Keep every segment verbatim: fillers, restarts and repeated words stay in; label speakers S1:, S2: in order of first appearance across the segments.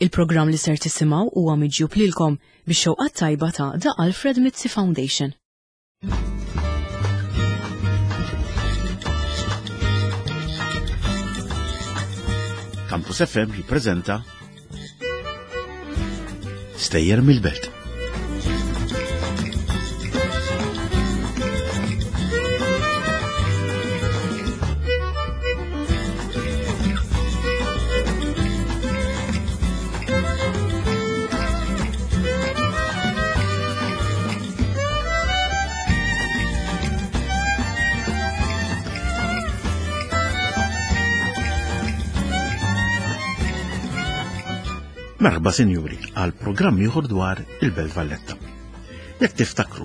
S1: Il-programm li ser tisimgħu huwa miġjub lilkom bix-xewqat tajba ta' The Alfred Mizzi Foundation.
S2: Campus F M jippreżenta Stejjer mill-Belt. Merħba, sinjuri, għal programm ieħor dwar il-Belt Valletta. Jekk tiftakru,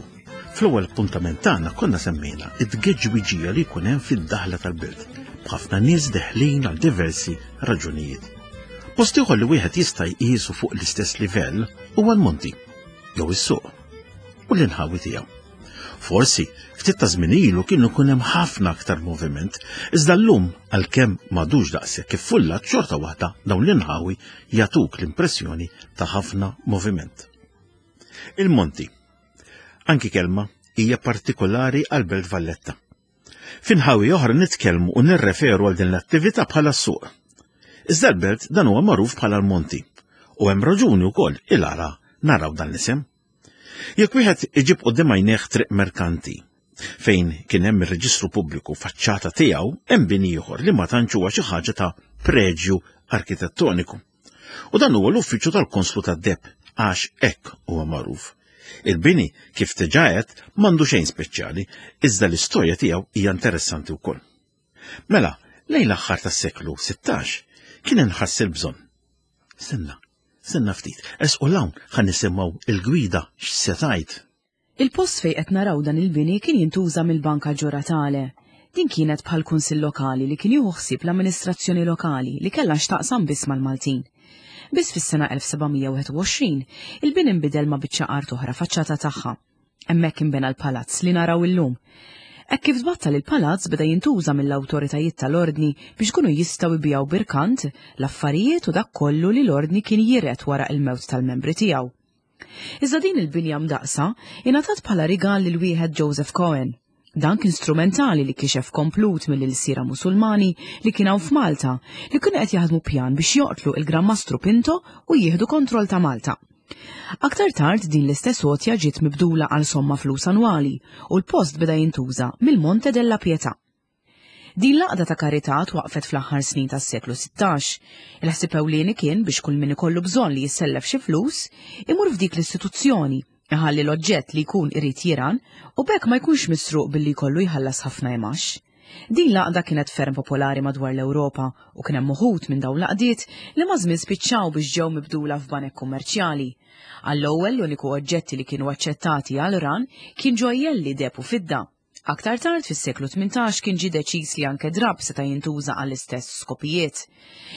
S2: fl-ewwel appuntament tagħna konna semmejna it-tgeġwiġija li jkun hemm fid-daħla tal-belt, b'ħafna nies deħlin għal diversi raġunijiet. Post ieħor li wieħed jista' jqisu fuq l-istess livell huwa l-Monti, jew is-suq, u l-inħawi tiegħu. Forsi, ftit ta' żmien ilu kienu kun hemm ħafna aktar moviment, iżda llum, għalkemm m'għadux daqshekk iffullat, xorta waħda dawn l-inħawi jagħtuk l-impressjoni ta' ħafna moviment. Il-Monti. Anki kelma hija partikolari għal Belt Valletta. F'inħawi oħra nitkellmu u nirreferu għal din l-attività bħala s-suq. Iżda l-belt dan huwa magħruf bħala l-Monti. U hemm raġuni wkoll il-għala naraw dan l-isem. Jekk wieħed iġib quddiem għajnejh Triq Merkanti, fejn kien hemm ir-reġistru pubbliku, faċċata tiegħu hemm bini ieħor li ma tantx huwa xi ħaġa ta' preġju arkitettoniku. U dan huwa l-uffiċċju tal-Konslu tad-Deheb, għax hekk huwa magħruf. Il-bini, kif diġà għedt, m'għandu xejn speċjali, iżda l-istorja tiegħu hija interessanti wkoll. Mela, lejn l-aħħar tas-seklu sittax kien inħass il-bżonn. Stenna, stenna ftit, ersqu 'l hawn ħa nisimgħu il-gwida x'se tgħid.
S1: Il-post fejn qed naraw dan il-bini kien jintuża mill-Banka Ġuratale. Din kienet bħal kunsill lokali li kien jieħu ħsieb l-amministrazzjoni lokali li kellha x'taqsam biss mal-Maltin. Biss fis-sena elf seba' mija u wieħed u għoxrin il-bini nbidel ma' biċċa art oħra faċċata tagħha. Hemmhekk inbena l-palazz li naraw illum. Hekk kif tbattal, il-palazz beda jintuża mill-awtoritajiet tal-ordni biex kunu jistgħu jbigħu b'irkant l-affarijiet u dak kollu li l-ordni kien jiret wara il-mewt tal-membri tiegħu. Iżda din il-binja mdaqsa ingħatat bħala rigal lil wieħed Joseph Cohen. Dan kien strumentali li kixef komplott mill-ilsira Musulmani li kien hawn f'Malta, li kienu qed jaħdmu pjan biex joqtlu il-Gran Mastru Pinto u jieħdu kontroll ta' Malta. Aktar tard din l-istess għotja ġiet mibdula għal somma flus annwali u l-post beda jintuża mill-Monte della Pietà. Din l-għaqda ta' karità twaqfet fl-aħħar snin tas-seklu sittax. Il-ħsieb ewlieni kien biex kull min ikollu bżonn li jissellef xi flus imur f'dik l-istituzzjoni, iħalli l-oġġett li jkun irid jiran u b'hekk ma jkunx misruq billi jkollu jħallas ħafna imax. Din l-għaqda kienet ferm popolari madwar l-Ewropa u kien hemm uħud minn dawn l-għaqdiet li maż-żmien spiċċaw biex ġew mibdula f'banek kummerċjali. Għall-ewwel, l-uniku oġġetti li kienu aċċettati għal ran kien ġojjelli deheb u fidda. Aktar tard fis-seklu tmintax kien ġi deċiż li anke drab seta' jintuża għall-istess skopijiet.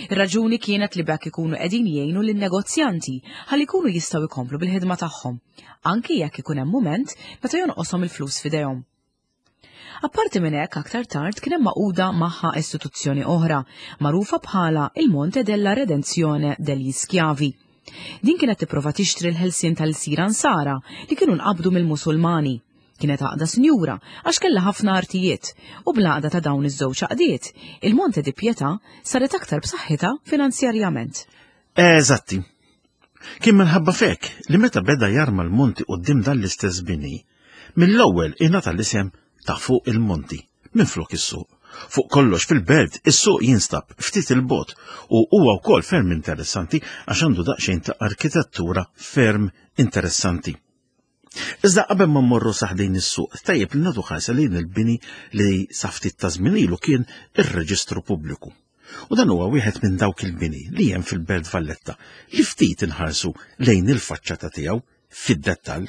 S1: Ir-raġuni kienet li b'hekk ikunu qegħdin jgħinu lin-negozjanti ħalli jkunu jistgħu jkomplu bil-ħidma tagħhom, anki jekk ikun hemm mument meta jonqoshom il-flus f'idejhom. Apparti minn hekk, aktar tard kien hemm magħquda magħha istituzzjoni oħra magħrufa bħala il-Monte della Redenzione degli Schiavi. Din kienet tipprova tixtri l-ħelsien tal-ilsira Nsara li kienu nqabdu mill-Musulmani. Kienet għaqda sinjura għax kellha ħafna artijiet u bl-għaqda ta' dawn iż-żewġ għaqdiet, il-Monte di Pietà saret aktar b'saħħitha finanzjarjament.
S2: Eżatti. Kien minħabba f'hekk li meta beda jarma l-monti quddiem dan l-istess bini, mill-ewwel ingħata l-isem ta' fuq il-monti, minn flok is-suq. Fuq kollox, fil-belt, is-suq jinstab ftit 'il bogħod u huwa wkoll ferm interessanti għax għandu daqsxejn ta' arkitettura ferm interessanti. Iżda qabel ma mmorru sa ħdejn is-suq, tajjeb li nagħtu ħarsa lejn il-bini li sa ftit ta' żmien ilu kien ir-Reġistru Pubbliku. U dan huwa wieħed minn dawk il-bini li hemm fil-Belt Valletta li ftit inħarsu lejn il-faċċata tiegħu fid-dettall.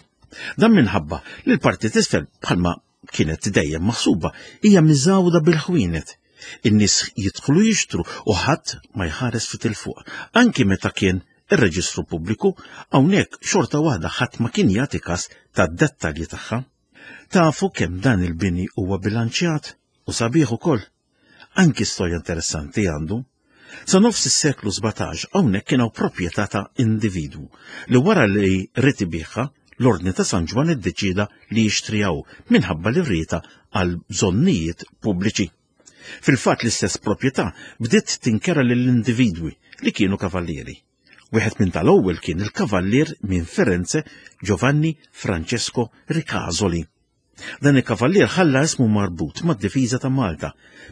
S2: Dan minħabba li l-parti t'isfel, bħalma kienet dejjem maħsuba, hija miżawda bil-ħwienet. In-nies jidħlu jixtru u ħadd ma jħares fit 'il fuq. Anki meta kien ir-Reġistru Pubbliku, hawnhekk xorta waħda ħadd ma kien jagħti kas tad-dettalji tagħha. Tafu kemm dan il-bini huwa bilanċjat u sabiħ ukoll. Anki storja interessanti għandu. Sa nofs is-seklu sbatax hawnhekk kien hawn proprjetà ta' individwu li wara li ried ibigħha l-Ordni ta' San Ġwann iddeċieda li jixtriha hu minħabba li rriedha għal bżonnijiet pubbliċi. Fil-fatt l-istess proprjetà bdiet tinkera lill-individwi li kienu kavallieri. Wieħed minn tal-ewwel kien il-kavallier minn Firenze Giovanni Francesco Ricasoli. Dan il-kavallier ħalla ismu marbut mad-difiża ta' Malta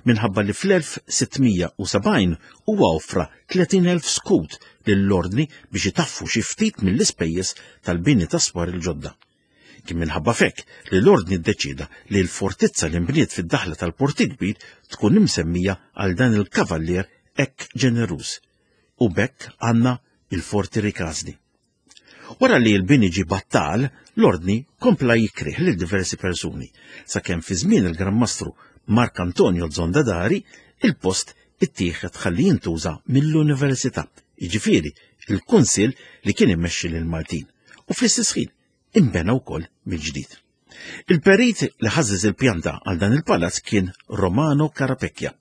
S2: minħabba li fl-elf sittmija u sebgħin huwa offra tletin elf skut lill-ordni biex itaffu xi ftit mill-ispejjeż tal-bini ta' swar il-ġodda. Kien minħabba fekk li l-ordni ddeċida li l-fortizza li nbniet fid-daħla tal-Port il-Kbir tkun imsemmija għal dan il-kavallier hekk ġeneruż. U b'hekk għandna il-Forti Ricasoli. Wara li l-bini ġie battal, l-ordni kompla jikrih lil diversi persuni, sakemm fi żmien il-Gran Mastru Mark Antonio Zondadari il-post ittieħed ħalli jintuża mill-Università, jiġifieri il-Kunsill li kien immexxi lil Maltin, u fl-istess ħin inbena wkoll mill-ġdid. Il-perit li ħażżeż il-pjanta għal dan il-palazz kien Romano Carapecchia.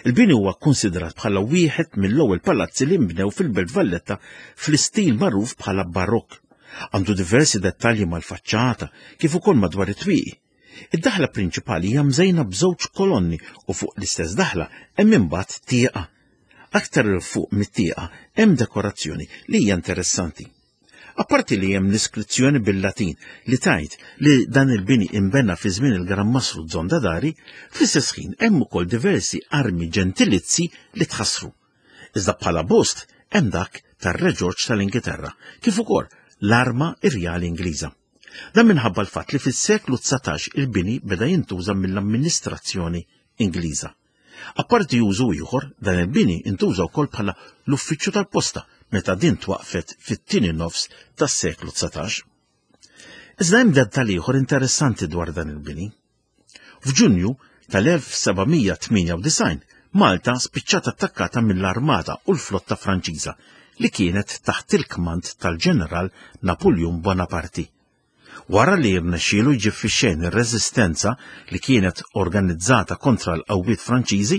S2: Il-bini huwa kkonsidrat bħala wieħed mill-ewwel palazzi li nbnew fil-Belt Valletta fl-istil magħruf bħala barokk. Għandu diversi dettalji mal-faċċata kif ukoll madwar it-twieqi. Id-daħla prinċipali hija mżejna b'żewġ kolonni u fuq l-istess daħla hemm imbagħad tieqa. Aktar 'il fuq mit-tieqa hemm dekorazzjoni li hija interessanti. Apparti li hemm l-iskrizzjoni bil-Latin li tgħid li dan il-bini inbena fi żmien il-Gran Mastru Zondadari, fl-istess ħin hemm ukoll diversi armi ġentilizzi li tħassru. Iżda bħala bost hemm dak tar-Re Ġorġ tal-Ingilterra, kif ukoll l-arma irjali Ingliża. Dan minħabba l-fatt li fis-seklu dsatax il-bini beda jintuża mill-amministrazzjoni Ingliża. Apparti użu ieħor, dan il-bini intuża wkoll bħala l-uffiċċju tal-posta meta din twaqfet fit-tieni nofs tas-seklu dsatax. Iżda hemm dettall ieħor interessanti dwar dan il-bini. F'Ġunju tal-elf sebgħamija tmienja u disgħin, Malta spiċċat attakkata mill-Armata u l-Flotta Franċiża li kienet taħt il-kmand tal-Ġeneral Napoleon Bonaparte. Wara li rnexxielu jġib fix-xejn ir-reżistenza li kienet organizzata kontra l-qawwiet Franċiżi,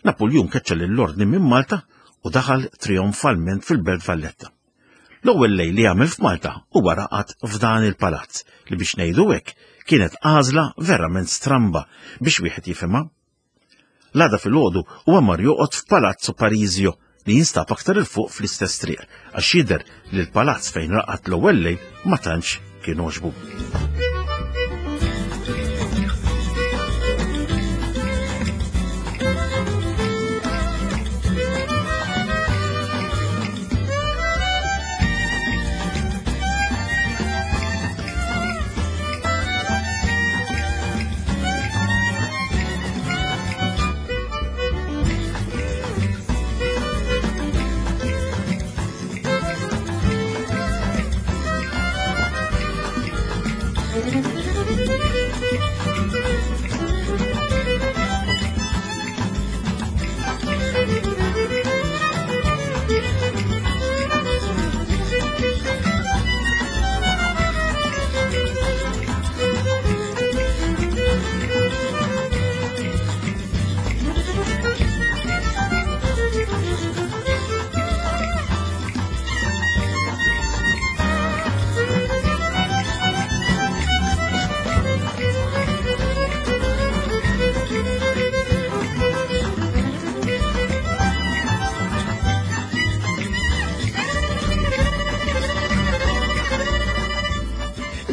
S2: Napoleon keċċa lill-ordni minn Malta u daħal trionfalment fil-Belt Valletta. L-ewwel lejl li għamel f'Malta huwa raqad f'dan il-palazz li biex ngħidu hekk kienet għażla verament stramba biex wieħed jifhimha. L-għada filgħodu huwa mar joqgħod f'Palazzo Parisio li jinstab aktar il fuq fl-istess triq għax jidher li l-palazz fejn raqad l-ewwel lejl ma tantx kien għoġbu.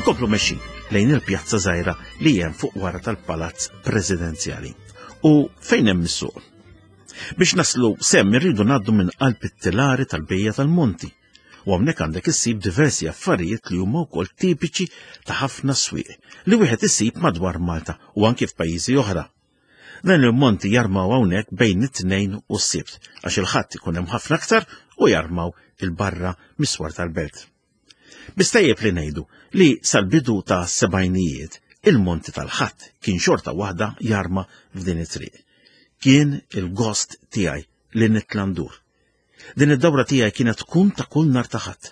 S2: Inkomplu mexxin lejn il-pjazza żgħira li hemm fuq wara tal-Palazz Presidenzjali u fejn hemm is-suq. Biex naslu semm irridu ngħaddu minn qalb it-tilari tal-bejja tal-Monti u hawnhekk għandek issib diversi affarijiet li huma wkoll tipiċi ta' ħafna swieq li wieħed isib madwar Malta u anke f'pajjiżi oħra. Dan il-monti jarmaw hawnhekk bejn it-tnejn u s-Sibt għax il-Ħadd ikun hemm ħafna aktar u jarmaw il-barra mis-swar tal-belt. Biss tajjeb li ngħidu li sal-bidu ta' sebgħinijiet il-monti tal-Ħadd kien xorta waħda jarma f'din it-triq. Kien il-gost tiegħi li nitla' ndur. Din id-dawra tiegħi kienet tkun ta' kull nhar ta' Ħadd.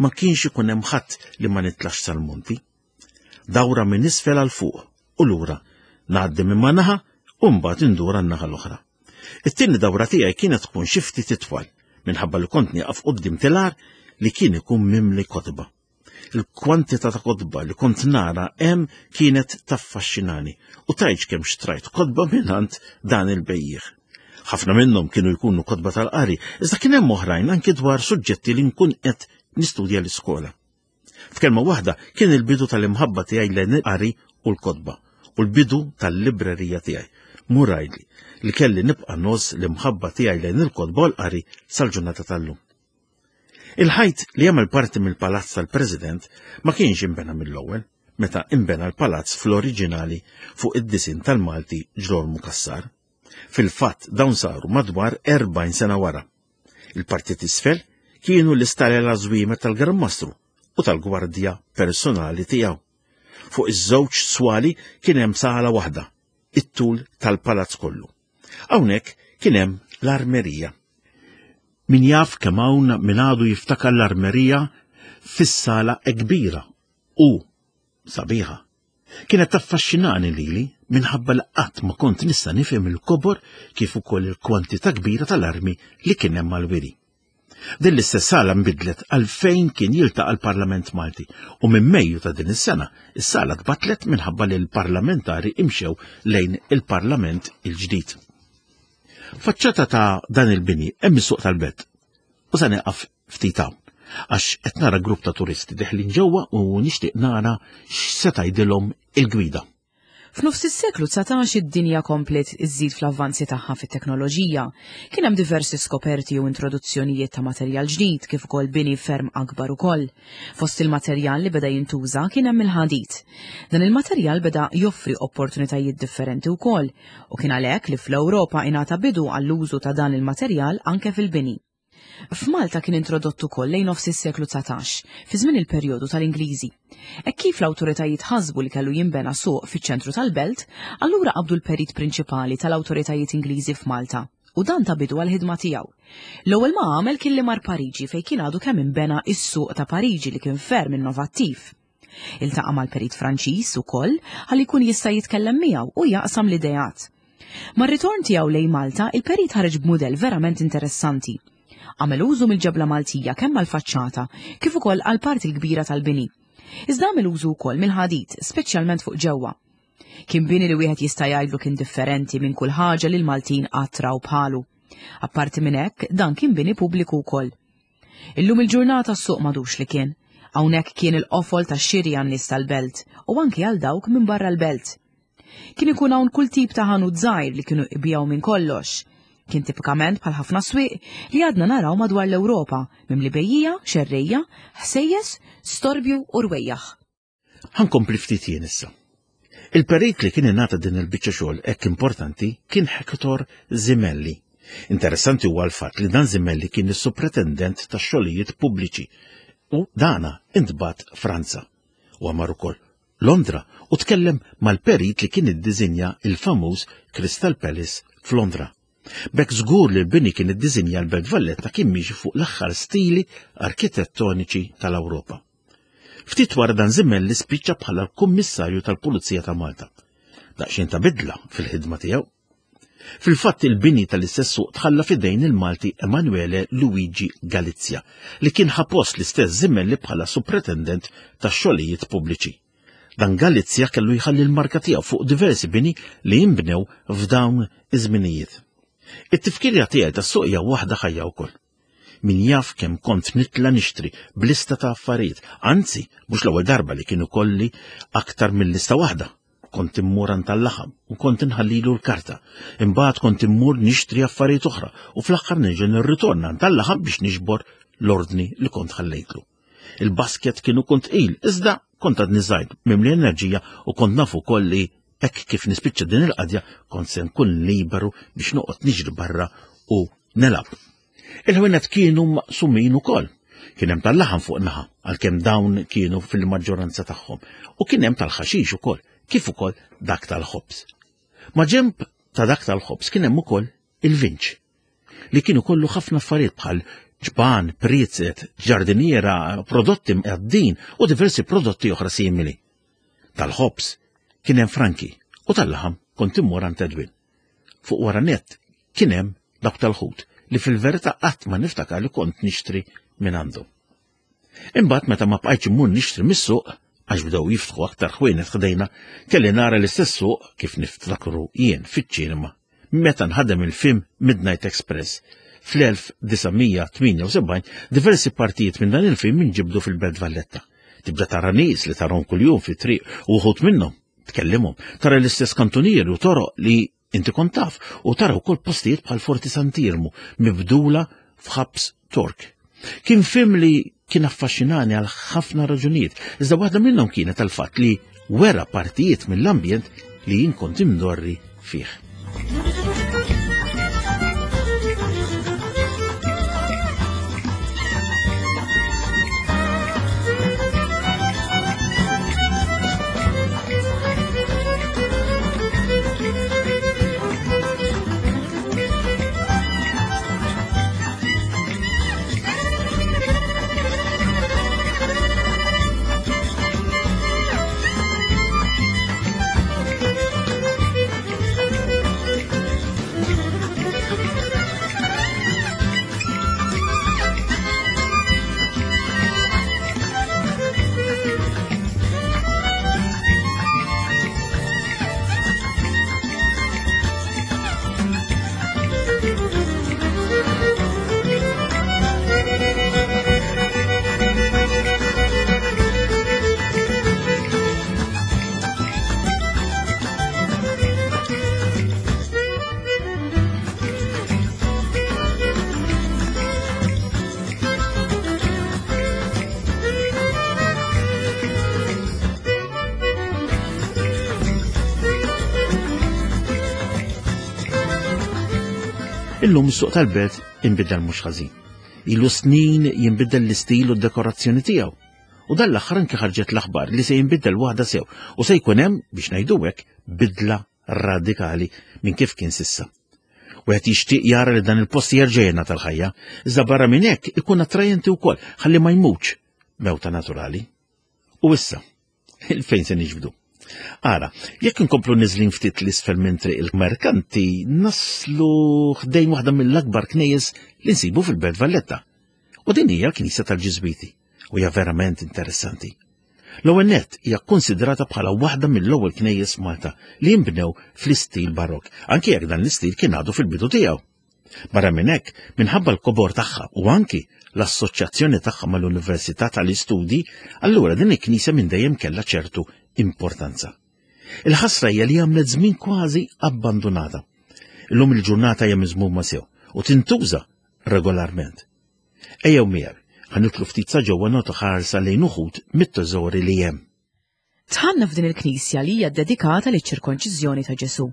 S2: Ma kienx ikun hemm ħadd li ma nitlax sal-monti. Dawra minn isfel għal fuq u lura, ngħaddi minn ma' naħa u mbagħad indur għan-naħa l-oħra. It-tieni dawra tiegħi kienet tkun xi ftit itwal minħabba li kont nieqaf quddiem tilar li kien ikun mimli kotba. Il-kwantità ta' kotba li kont nara hemm kienet taffaxxinani u tajġ kemm xtrajt kotba mingħand dan il-bejjiegħ. Ħafna minnhom kienu jkunu kotba tal-qari, iżda kien hemm oħrajn anki dwar suġġetti li nkun qed nistudja l-iskola. F'kelma waħda kien il-bidu tal-imħabba tiegħi lejn il-qari u l-kotba u l-bidu tal-librerija tiegħi. Murajli li kelli nibqa' ngħożż l-imħabba tiegħi lejn il-kotba u l-qari sal-ġurnata tal-lum. Il-ħajt li jagħmel parti mill-palazz tal-President ma kienx imbena mill-ewwel, meta imbena l-palazz fl-oriġinali fuq id-disin tal-Malti Ġrolmu Cassar. Fil-fatt dawn saru madwar erbgħin sena wara. Il-parti t'isfel kienu l-istalel żwiemer tal-Gran Mastru u tal-gwardja personali tiegħu. Fuq iż-żewġ swali kien hemm sala waħda, it-tul tal-palazz kollu. Hawnhekk kien hemm l-armerija. Min jaf kemm hawn min għadu jiftakar l-armerija fis-sala kbira u sabiħa. Kienet taffaxxinani lili minħabba li qatt ma kont nista' nifhem il-kobor kif ukoll il-kwantità kbira tal-armi li kien hemm mal-wiri. Din l-istess sala nbidlet għal fejn kien jiltaqa' l-Parlament Malti u minn Mejju ta' din is-sena is-sala tbattlet minħabba li l-parlamentari imxew lejn il-Parlament il-ġdid. Faċċata ta' dan il-bini hemm is-suq tal-belt u se nieqaf ftit hawn għax qed nara grupp ta' turisti deħlin ġewwa u nixtieq nara x'se tgħidilhom il-gwida.
S1: F'nofs is-seklu dsatax id-dinja komplet iżżid fl-avvanzi tagħha fit-teknoloġija. Kien hemm diversi skoperti u introduzzjonijiet ta' materjal ġdid kif ukoll bini ferm akbar ukoll. Fost il-materjal li beda jintuża kien hemm il-ħadid. Dan il-materjal beda joffri opportunitajiet differenti wkoll u kien għalhekk li fl-Ewropa ingħata bidu għall-użu ta' dan il-materjal anke fil-bini. F'Malta kien introdott ukoll lejn nofs is-seklu dsatax, fi żmien il-perjodu tal-Ingliżi. Hekk kif l-awtoritajiet ħasbu li kellu jinbena suq fiċ-ċentru tal-belt, allura qabdu l-perit prinċipali tal-awtoritajiet Ingliżi f'Malta u dan ta bidu għall-ħidma tiegħu. L-ewwel ma għamel kien li mar Pariġi fejn kien għadu kemm inbena is-suq ta' Pariġi li kien ferm innovattiv. Iltaqa' mal-perit Franċiż ukoll ħalli jkun jista' jitkellem miegħu u jaqsam l-ideat. Mar-ritorn tiegħu lejn Malta, il-perit ħareġ b'mudell verament interessanti. Għamel użu mill-ġebla Maltija kemm għall-faċċata kif ukoll għall-parti l-kbira tal-bini. Iżda għamel użu wkoll mill-ħadid, speċjalment fuq ġewwa. Kien bini li wieħed jista' jgħidlu kien differenti minn kull ħaġa li l-Maltin qatt raw bħalu. Apparti minn hekk, dan kien bini pubbliku wkoll. Illum il-ġurnata s-suq m'għadux li kien. Hawnhekk kien il-qofol tax-xiri għan-nies tal-belt u anki għal dawk minn barra l-belt. Kien ikun hawn kull tip ta' ħanut żgħir li kienu jbigħu minn kollox. Kien tipikament bħal ħafna swieq li għadna naraw madwar l-Ewropa, mimli bejjija, xerrejja, ħsejjes, storbju u rwejjaħ.
S2: Ħankompli ftit jien issa. Il-perit li kien ingħata din il-biċċa xogħol hekk importanti kien Hector Zimelli. Interessanti huwa l-fatt li dan Zimelli kien is-supretendent tax-xogħlijiet pubbliċi u dana intbagħat Franza. U mar ukoll Londra u tkellem mal-perit li kien iddisinja il-famuż Crystal Palace f'Londra. B'hekk żgur li l-bini kien iddisinja l-Belt Valletta kien miexi fuq l-aħħar stili arkitettoniċi tal-Ewropa. Ftit wara dan Zimelli spiċċa bħala l-Kummissarju tal-Pulizija ta' Malta. Daqsxejn ta' bidla fil-ħidma tiegħu. Fil-fatt il-bini tal-istess suq tħalla fidejn il-Malti Emanuele Luigi Galizia li kien ħa post l-istess Zimelli bħala supretendent tax-xogħlijiet pubbliċi. Dan Galizia kellu jħalli l-marka tiegħu fuq diversi bini li jinbnew f'dawn iż-żminijiet. It-tifkirja tiegħi tas-suq hija waħda ħajja wkoll. Min jaf kemm kont nitla nixtri b'lista ta' affarijiet, anzi mhux l-ewwel darba li kienu kolli aktar minn lista waħda. Kont immur għand tal-laħam u kont inħallilu l-karta. Imbagħad kont immur nixtri affarijiet oħra u fl-aħħar nerġa' nirritorna għand tal-laħam biex niġbor l-ordni li kont ħallejtlu. Il-basket kienu kont tqil, iżda kont għadni żgħir mimli enerġija u kont naf ukoll li hekk kif nispiċċa din il-qadja kont se nkun liberu biex noqgħod niġri barra u nelab. Il-ħwienet kienu maqsumin ukoll. Kien hemm tal-laħam fuq naħa, għalkemm dawn kienu fil-maġġoranza tagħhom, u kien hemm tal-ħaxix ukoll, kif ukoll dak tal-ħobż. Ma ġemb ta' dak tal-ħobż kien hemm ukoll il-vinċ, li kienu kollu ħafna affarijiet bħal ġban, priezet, ġardiniera, prodotti mqaddin u diversi prodotti oħra simili. Tal-ħobż kien hemm Franki u tal-laħam kont immur għand Edwin. Fuq wara nett Kien hemm dawk tal-ħut li fil-verità qatt ma niftakar li kont nixtri minn għandu. Imbagħad meta ma bqajtx immur nixtri mis-suq, għax bdew jiftħu aktar ħwienet ħdejna, kelli nara l-istess suq kif niftakru jien fiċ-ċinema meta nħadem il-film Midnight Express. fl-elf disa' mija tmienja u sebgħin diversi partijiet minn dan il-film inġibdu fil-Belt Valletta. Tibda tara nies li tarahom kuljum fit-triq u wħud minnhom tkellimhom, tara l-istess kantunieri u toroq li inti kont taf u tara wkoll postijiet bħal Forti Sant'Iermu mibdula f'ħabs Tork. Kien film li kien affaxxinani għal ħafna raġunijiet, iżda waħda minnhom kienet tal-fatt li wera partijiet mill-ambjent li jien kont imdorri fih. Illum is-suq tal-belt inbidel mhux ħażin. Ilu snin jinbidel l-istil u d-dekorazzjoni tiegħu. U dan l-aħħar anke ħarġet l-aħbar li se jinbidel waħda sew u se jkun hemm, biex ngħidu hekk, bidla radikali minn kif kien sissa. Wieħed jixtieq jara li dan il-post jerġa' jingħata tal-ħajja, iżda barra minn hekk ikun attrajenti wkoll ħalli ma jmutx mewta naturali. U issa, il-fejn se niġbdu? Ara, jekk inkomplu niżlin ftit l-isfel minn triq il-merkanti, naslu ħdejn waħda mill-akbar knejjes li nsibu fil-Belt Valletta. U din hija l-Knisja tal-Ġiżwiti, u hija verament interessanti. L-ewwel nett hija kkonsidrata bħala waħda mill-ewwel knejjes Malta li jinbnew fl-istil barokk, anke jekk dan l-istil kien għadu fil-bidu tiegħu. Barra minn hekk, minħabba l-kobor tagħha u anki l-assoċjazzjoni tagħha mal-Università tal-Istudji, allura din il-knisja minn dejjem kellha ċertu importanza. Il-ħasra hija li għamlet żmien kważi abbandunata. Illum il-ġurnata hija miżmuma sew u tintuża regolarment. Ejjew miegħi, ħa nidħlu ftit sa ġewwa nagħtu ħarsa lejn uħud mit-teżori li hemm.
S1: Tħanna f'din il-knisja li hija ddedikata liċ-ċirkonċiżjoni ta' Ġesù.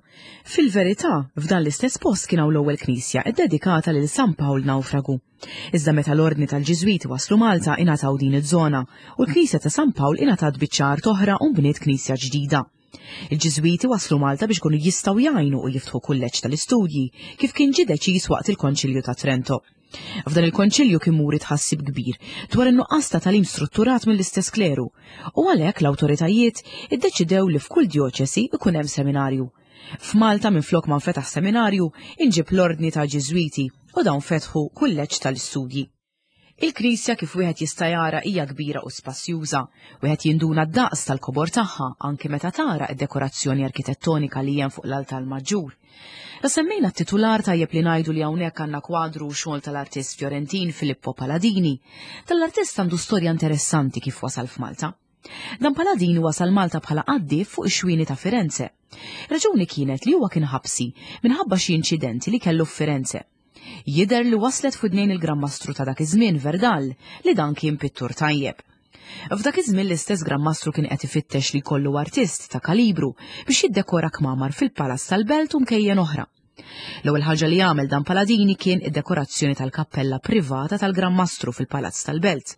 S1: Fil-verità, f'dan l-istess post kien hawn l-ewwel knisja ddedikata lil San Pawl Nawfragu. Iżda meta l-ordni tal-Ġiżwiti waslu Malta ingħataw din iż-żona u l-knisja ta' San Pawl ingħatat biċċa art oħra u nbniet knisja ġdida. Il-Ġiżwiti waslu Malta biex ikunu jistgħu jgħinu u jiftħu kulleġġ tal-istudji kif kien ġie deċiż waqt il-Konċilju ta' Trento. F'dan il-konċilju kien muri tħassib kbir dwar in-nuqqas ta' tagħlim strutturat mill-istess kleru u għalhekk l-awtoritajiet iddeċidew li f'kull djoċesi ikun hemm seminarju. F'Malta minflok ma nfetaħ seminarju inġib l-ordni ta' Ġiżwiti u dawn fetħu kulleġġ tal-istudji. Il-knisja kif wieħed jista' jara hija kbira u spazjuża, wieħed jinduna d-daqs tal-kobor tagħha anke meta tara d-dekorazzjoni arkitettonika li hemm fuq l-altar maġġur. La semmejna t-titular tajjeb li ngħidu li hawnhekk għandna kwadru u xogħol tal-artist Fiorentin Filippo Paladini. Tal-artist għandu storja interessanti kif wasal f'Malta. Dan Paladini wasal Malta bħala qaddif fuq ix-xwieni ta' Firenze. Raġuni kienet li huwa kien ħabsi minħabba xi inċidenti li kellu f'Firenze. Jidher li waslet f'widnejn il-Gran Mastru ta' dak iż-żmien Verdal li dan kien pittur tajjeb. F'dak iż-żmien l-istess Gran Mastru kien qed ifittex li jkollu artist ta' kalibru biex jiddekora kmamar fil-Palazz tal-Belt u mkejjen oħra. L-ewwel ħaġa li għamel dan Paladini kien id-dekorazzjoni tal-kappella privata tal-Gran Mastru fil-Palazz tal-Belt.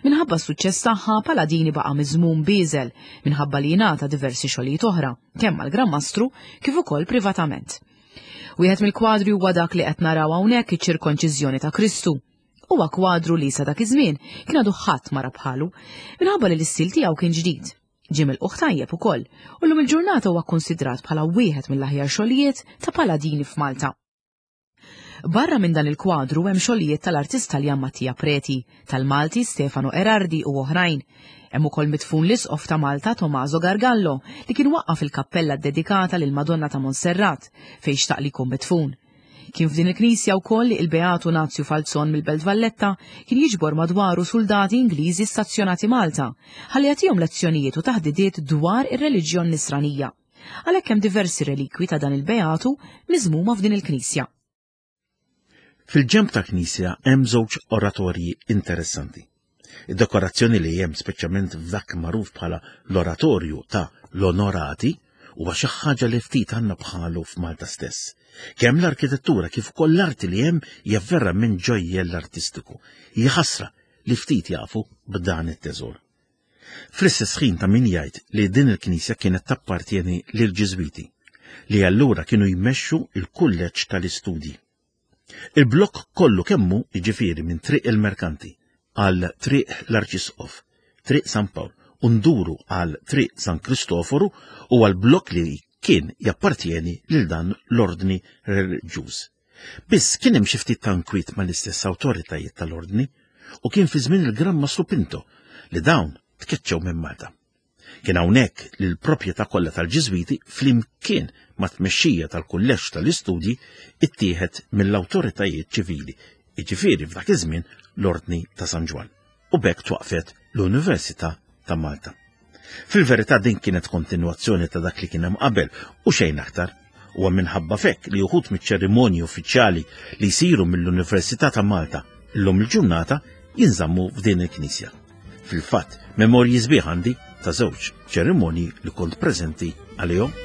S1: Minħabba s-suċċess tagħha, Paladini baqa' miżmum bieżel minħabba li jingħata diversi xogħlijiet oħra, kemm mal-Gran Mastru kif ukoll privatament. Wieħed mill-kwadri huwa dak li qed naraw hawnhekk iċ-ċirkonċiżjoni ta' Kristu. Huwa kwadru li sa dak iż-żmien kien għadu ħadd ma ra bħalu minħabba li l-istil tiegħu kien ġdid. Ġie milqugħ tajjeb ukoll u llum il-ġurnata huwa kkonsidrat bħala wieħed mill-aħjar xogħlijiet ta' Paladini f'Malta. Barra minn dan il-kwadru hemm xogħlijiet tal-artist Taljan Mattia Preti, tal-Malti Stefano Erardi u oħrajn. Hemm ukoll midfun l-Isqof ta' Malta Tommaso Gargallo li kien waqqaf il-kappella ddedikata lil Madonna ta' Monserrat fejn xtaq li jkun midfun. Kien f'din il-knisja wkoll li il-Beatu Nazju Falzon mill-Belt Valletta kien jiġbor madwaru soldati Ingliżi stazzjonati Malta ħalli jagħtihom lezzjonijiet u taħdidiet dwar ir-reliġjon Nisranija. Għalhekk hemm diversi relikwi ta' dan il-Beatu miżmuma f'din il-knisja.
S2: Fil-ġenb ta' knisja hemm żewġ oratorji interessanti. Id-dekorazzjoni li hemm speċjalment f'dak magħruf bħala l-oratorju ta' l-Onorati huwa xi ħaġa li ftit għandna bħalu f'Malta stess. Kemm l-arkitettura kif ukoll l-arti li hemm hija verament ġojjell artistiku. Hija ħasra li ftit jafu b'dan it-teżor. Fl-istess ħin ta' min jgħid li din il-knisja kienet tappartieni lil-Ġiżwiti, li allura kienu jmexxu il-kulleġġ tal-istudji. Il-blokk kollu kemmu, jiġifieri minn Triq il-Merkanti għal Triq l-Arċisqof, Triq San Pawl, u nduru għal Triq San Kristoforu, u għal blokk li kien jappartieni lil dan l-ordni reliġjuż. Biss kien hemm xi ftit ta' nkwiet mal-istess awtoritajiet tal-ordni u kien fi żmien il-Gran Mastru Pinto li dawn tkeċċew minn Malta. Kien hawnhekk li l-proprjetà kollha tal-Ġiżwiti flimkien ma' tmexxija tal-kulleġġ tal-istudji ittieħed mill-awtoritajiet ċivili, jiġifieri f'dak iż-żmien l-Ordni ta' San Ġwann, u b'hekk twaqfet l-Università ta' Malta. Fil-verità din kienet kontinwazzjoni ta' dak li kien hemm qabel u xejn aktar. Huwa minħabba fekk li uħud miċ-ċerimonji uffiċjali li jsiru mill-Università ta' Malta llum il-ġurnata jinżammu f'din il-knisja. Fil-fatt, memorji sbieħ għandi ta' żewġ ċerimonji li kont preżenti għalihom.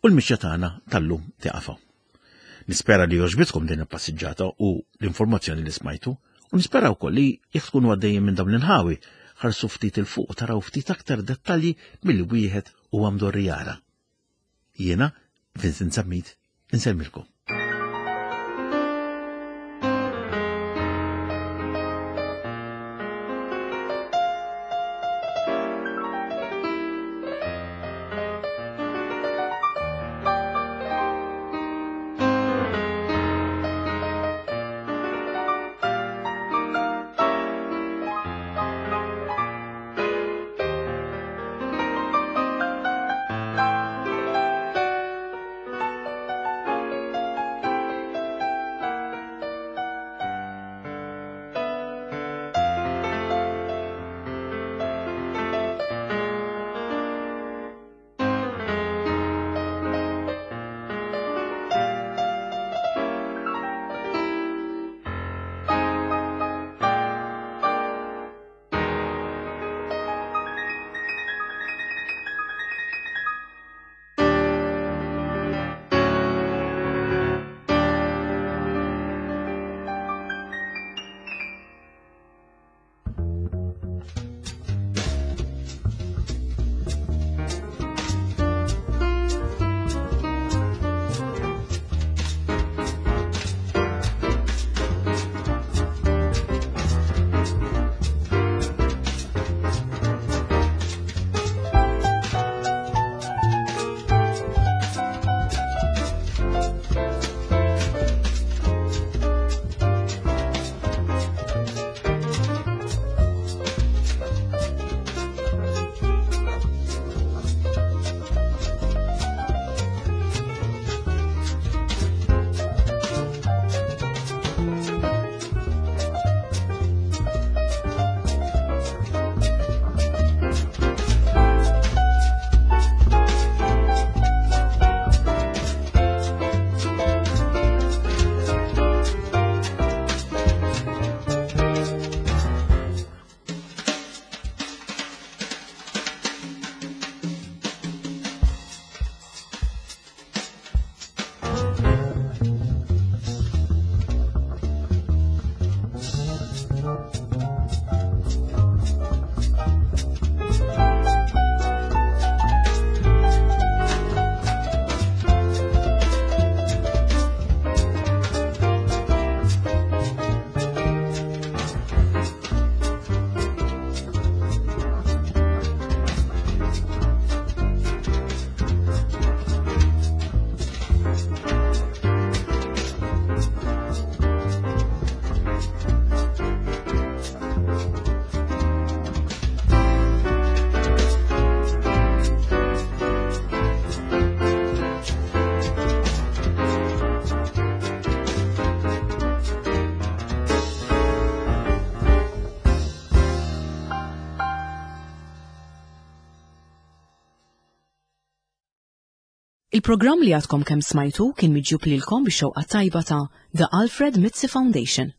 S2: U l-mixja tagħna tal-lum tiqafa. Nispera li għoġbitkom din il-passiġġata u l-informazzjoni li smajtu, u nispera wkoll li jekk tkunu għaddejjin minn dawn l-inħawi ħarsu ftit il fuq u taraw ftit aktar dettalji milli wieħed huwa mdorri jara. Jiena, Vincent Zammit, insellmilkom.
S1: Il-programm li għadkom kemm smajtu kien miġjub lilkom bix-xewqa tajba ta' The Alfred Mizzi Foundation.